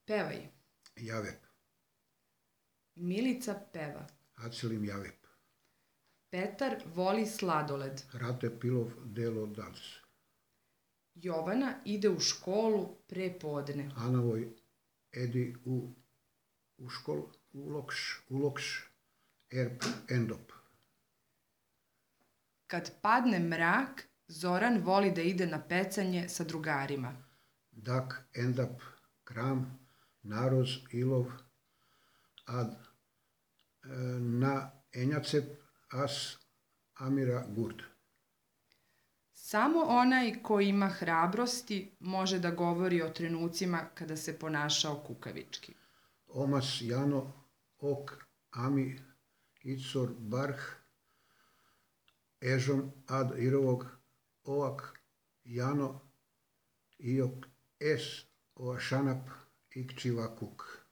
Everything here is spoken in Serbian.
Pevaj. Javep. Milica peva. Acelim javep. Petar voli sladoled. Rate pilov delo dac. Jovana ide u školu pre podne. Anavoj edi u škol ulokš erp endop. Kad padne mrak, Zoran voli da ide na pecanje sa drugarima. Dak endap kram naroz ilov ad na enjacep as amira gurd. Samo onaj ko ima hrabrosti može da govori o trenucima kada se ponašao kukavički. Omas jano ok ami icor barh ežon ad irovog oak jano iok es oašanap ikčiva kuk.